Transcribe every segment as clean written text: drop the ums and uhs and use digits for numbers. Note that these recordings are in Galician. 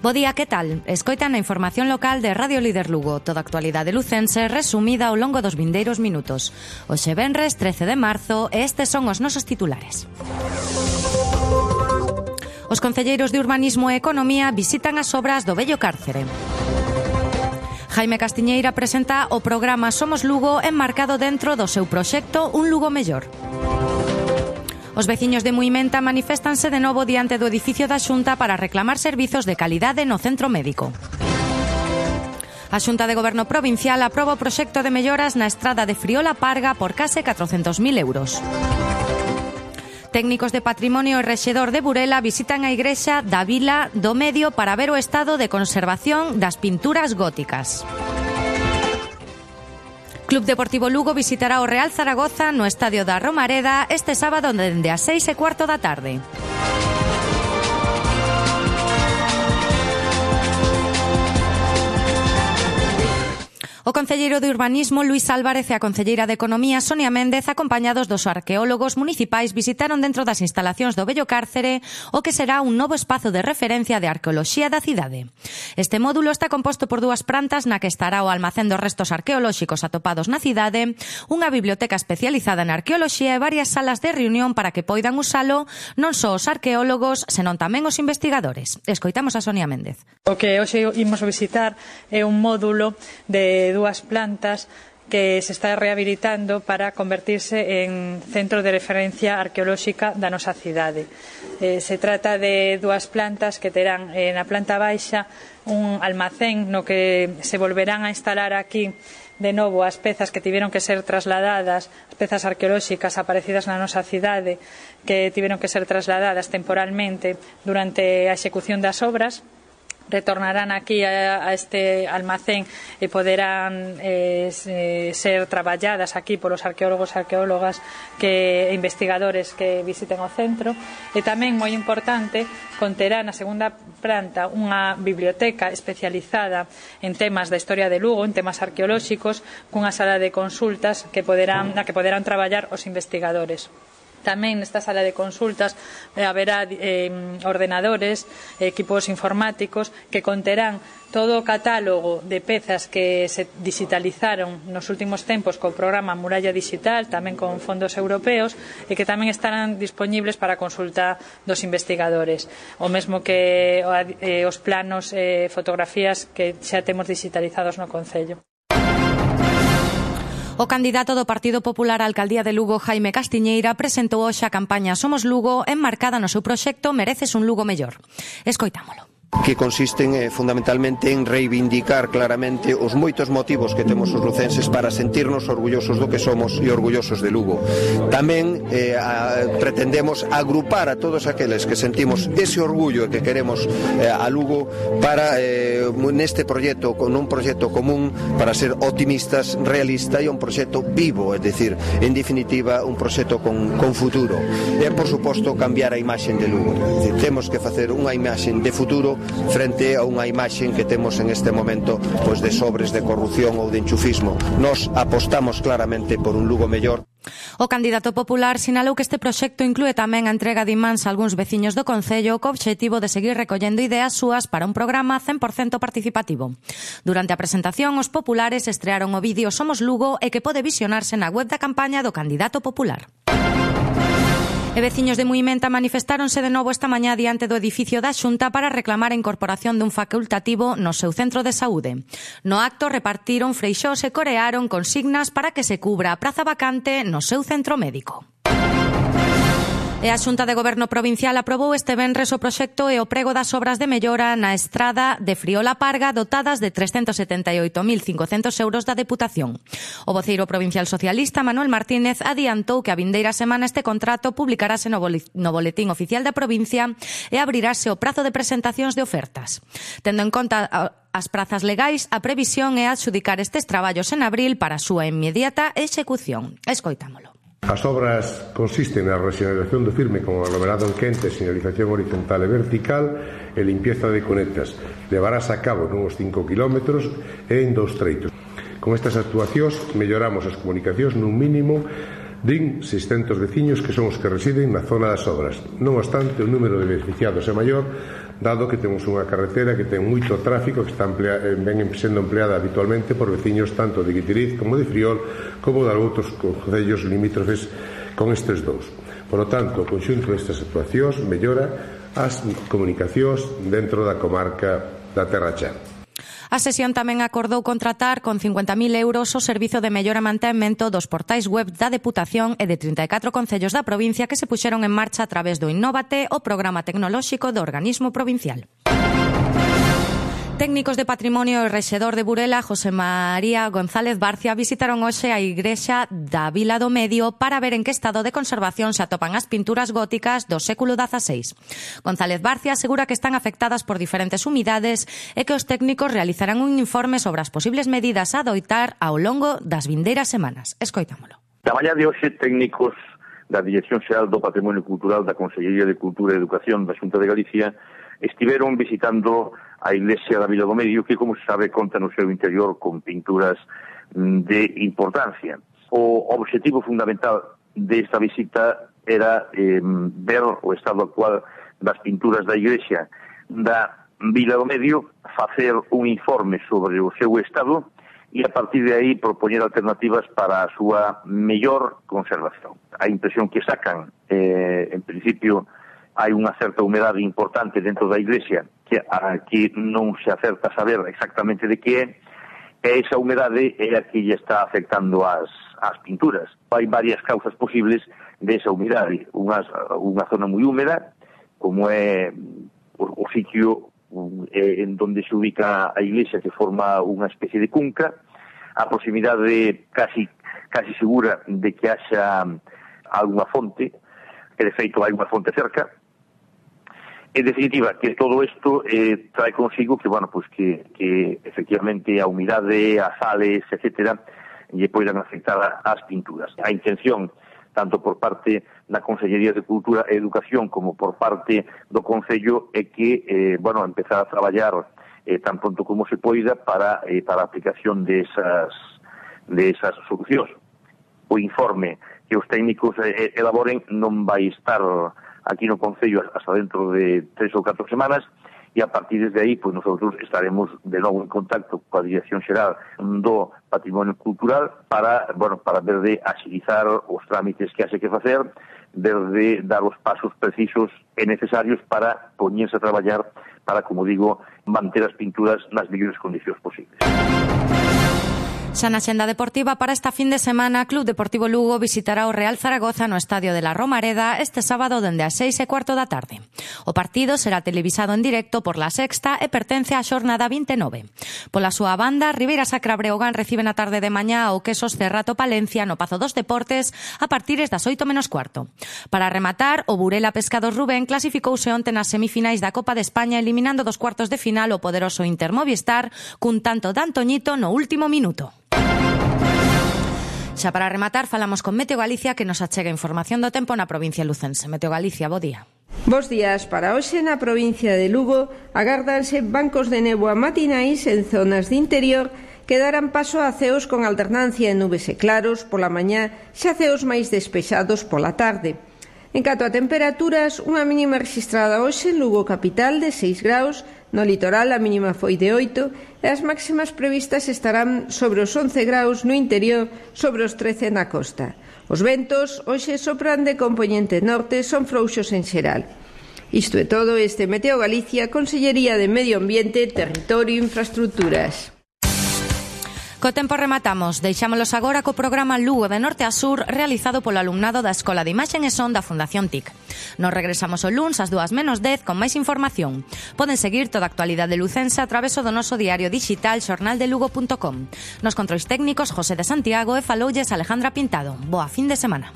Bo día, que tal? Escoitan a información local de Radio Líder Lugo, toda a actualidade lucense resumida ao longo dos vindeiros minutos. Hoxe venres 13 de marzo e estes son os nosos titulares. Os concelleiros de Urbanismo e Economía visitan as obras do vello cárcere. Jaime Castiñeira presenta o programa Somos Lugo enmarcado dentro do seu proxecto Un Lugo Mellor. Os veciños de Muimenta maniféstanse de novo diante do edificio da Xunta para reclamar servizos de calidade no centro médico. A Xunta de Goberno Provincial aproba o proxecto de melloras na estrada de Friola Parga por case 400.000 euros. Técnicos de Patrimonio e Rexedor de Burela visitan a igrexa da Vila do Medio para ver o estado de conservación das pinturas góticas. Club Deportivo Lugo visitará o Real Zaragoza no estadio da Romareda este sábado dende as 6:15 da tarde. O concelleiro de Urbanismo, Luís Álvarez, e a concelleira de Economía, Sonia Méndez, acompañados dos arqueólogos municipais, visitaron dentro das instalacións do vello cárcere o que será un novo espazo de referencia de arqueoloxía da cidade. Este módulo está composto por 2 plantas na que estará o almacén dos restos arqueolóxicos atopados na cidade, unha biblioteca especializada en arqueoloxía e varias salas de reunión para que poidan usalo non só os arqueólogos, senón tamén os investigadores. Escoitamos a Sonia Méndez. O que hoxe imos a visitar é un módulo de 2 plantas que se está rehabilitando para convertirse en centro de referencia arqueolóxica da nosa cidade. Se trata de 2 plantas que terán na planta baixa un almacén no que se volverán a instalar aquí de novo as pezas que tiveron que ser trasladadas, as pezas arqueolóxicas aparecidas na nosa cidade que tiveron que ser trasladadas temporalmente durante a execución das obras. Retornarán aquí a este almacén e poderán ser traballadas aquí polos arqueólogos e arqueólogas e investigadores que visiten o centro. E tamén, moi importante, conterá na segunda planta unha biblioteca especializada en temas da historia de Lugo, en temas arqueolóxicos, cunha sala de consultas na que poderán traballar os investigadores. Tamén nesta sala de consultas haberá ordenadores, equipos informáticos que conterán todo o catálogo de pezas que se digitalizaron nos últimos tempos co programa Muralla Digital, tamén con fondos europeos, e que tamén estarán dispoñibles para consulta dos investigadores. O mesmo que os planos e fotografías que xa temos digitalizados no Concello. O candidato do Partido Popular á Alcaldía de Lugo, Jaime Castiñeira, presentou hoxe a campaña Somos Lugo enmarcada no seu proxecto Mereces un Lugo Mellor. Escoitámolo. Que consisten fundamentalmente en reivindicar claramente os moitos motivos que temos os lucenses para sentirnos orgullosos do que somos e orgullosos de Lugo. Tamén pretendemos agrupar a todos aqueles que sentimos ese orgullo e que queremos a Lugo para neste proxecto, con un proxecto común para ser optimistas, realista e un proxecto vivo, é dicir, en definitiva, un proxecto con futuro. E, por suposto, cambiar a imaxen de Lugo. É dicir, temos que facer unha imaxen de futuro frente a unha imaxen que temos en este momento pois de sobres de corrupción ou de enchufismo. Nos apostamos claramente por un Lugo mellor. O candidato popular sinalou que este proxecto inclúe tamén a entrega de imáns a algúns veciños do Concello co obxectivo de seguir recollendo ideas súas para un programa 100% participativo. Durante a presentación, os populares estrearon o vídeo Somos Lugo e que pode visionarse na web da campaña do candidato popular. E veciños de Muimenta manifestáronse de novo esta mañá diante do edificio da Xunta para reclamar a incorporación dun facultativo no seu centro de saúde. No acto repartiron freixós e corearon consignas para que se cubra a praza vacante no seu centro médico. E a Xunta de Goberno Provincial aprobou este venres o proxecto e o prego das obras de mellora na estrada de Friola Parga dotadas de 378.500 euros da Deputación. O voceiro provincial socialista Manuel Martínez adiantou que a vindeira semana este contrato publicarase no Boletín Oficial da provincia e abrirase o prazo de presentacións de ofertas. Tendo en conta as prazas legais, a previsión é adxudicar estes traballos en abril para a súa inmediata execución. Escoitámolo. As obras consisten na rexeneración do firme con aglomerado en quente, señalización horizontal e vertical e limpieza de cunetas. Levarás a cabo nuns 5 kilómetros e en 2 treitos. Con estas actuacións melloramos as comunicacións nun mínimo din 600 veciños que son os que residen na zona das obras. Non obstante, o número de beneficiados é maior dado que temos unha carretera que ten moito tráfico, que está ven sendo empleada habitualmente por veciños tanto de Guitiriz como de Friol, como de outros concellos limítrofes con estes dous. Por lo tanto, o conxunto destas actuacións mellora as comunicacións dentro da comarca da Terra Chá. A sesión tamén acordou contratar con 50.000 euros o servizo de mellora e mantemento dos portais web da Deputación e de 34 concellos da provincia que se puxeron en marcha a través do Innóvate, o programa tecnolóxico do organismo provincial. Técnicos de Patrimonio e rexedor de Burela, José María González Barcia, visitaron hoxe a igrexa da Vila do Medio para ver en que estado de conservación se atopan as pinturas góticas do século XVI. González Barcia asegura que están afectadas por diferentes umidades e que os técnicos realizarán un informe sobre as posibles medidas a adoitar ao longo das vindeiras semanas. Escoitámolo. Da mañá de hoxe, técnicos da Dirección Xeral do Patrimonio Cultural da Consellería de Cultura e Educación da Xunta de Galicia estiveron visitando a iglesia da Vila do Medio, que, como se sabe, conta no seu interior con pinturas de importancia. O obxectivo fundamental desta visita era ver o estado actual das pinturas da iglesia da Vila do Medio, facer un informe sobre o seu estado e, a partir de aí, propoñer alternativas para a súa mellor conservación. A impresión que sacan, en principio, hai unha certa humedade importante dentro da iglesia que non se acerta a saber exactamente de que é, e esa humedade é a que lle está afectando as pinturas. Hai varias causas posibles desa humedade. Unha zona moi húmeda, como é o sitio en donde se ubica a iglesia, que forma unha especie de cunca, a proximidade casi segura de que haxa alguna fonte, que de feito hai unha fonte cerca. En definitiva, que todo isto trae consigo que, bueno, pues que efectivamente a humidade, as sales, etcétera, lle poidan afectar as pinturas. A intención, tanto por parte da Consellería de Cultura e Educación como por parte do Concello, é que, empezar a traballar tan pronto como se poida para a aplicación de esas solucións. O informe que os técnicos elaboren non vai estar aquí no Concello hasta dentro de 3 ou 4 semanas, e a partir de aí, pues nosotros estaremos de novo en contacto coa Dirección Xeral do Patrimonio Cultural para ver de agilizar os trámites que haxe que facer, ver de dar os pasos precisos e necesarios para poñerse a traballar para, como digo, manter as pinturas nas mellores condicións posibles. Xa na xenda deportiva, para esta fin de semana, Club Deportivo Lugo visitará o Real Zaragoza no Estadio de la Romareda este sábado dende as 6:15 da tarde. O partido será televisado en directo por La Sexta e pertence á xornada 29. Pola súa banda, Ribeira Sacra Breogán recibe na tarde de mañá o Quesos Cerrato Palencia no Pazo dos Deportes a partir das 8:15. Para rematar, o Burela Pescados Rubén clasificouse onte nas semifinais da Copa de España eliminando dos cuartos de final o poderoso Inter Movistar cun tanto de Antoñito no último minuto. Xa para rematar, falamos con Meteo Galicia, que nos achega información do tempo na provincia lucense. Meteo Galicia, bo día. Bos días. Para hoxe na provincia de Lugo agárdanse bancos de néboa matinais en zonas de interior que darán paso a ceos con alternancia de nubes e claros pola mañá, xa ceos máis despexados pola tarde. En canto a temperaturas, unha mínima registrada hoxe en Lugo capital de 6 graus, no litoral a mínima foi de 8 e as máximas previstas estarán sobre os 11 graus no interior, sobre os 13 na costa. Os ventos hoxe sopran de compoñente norte, son frouxos en xeral. Isto é todo, este Meteo Galicia, Consellería de Medio Ambiente, Territorio e Infraestructuras. Co tempo rematamos, deixámolos agora co programa Lugo de Norte a Sur realizado polo alumnado da Escola de Imaxe e Son da Fundación TIC. Nos regresamos o luns ás 2:10 con máis información. Poden seguir toda a actualidade lucense a través do noso diario digital xornaldelugo.com. Nos controis técnicos José de Santiago e faloulles Alejandra Pintado. Boa fin de semana.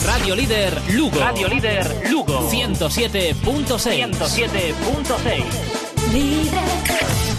Radio Líder Lugo. Radio Líder Lugo. 107.6. 107.6.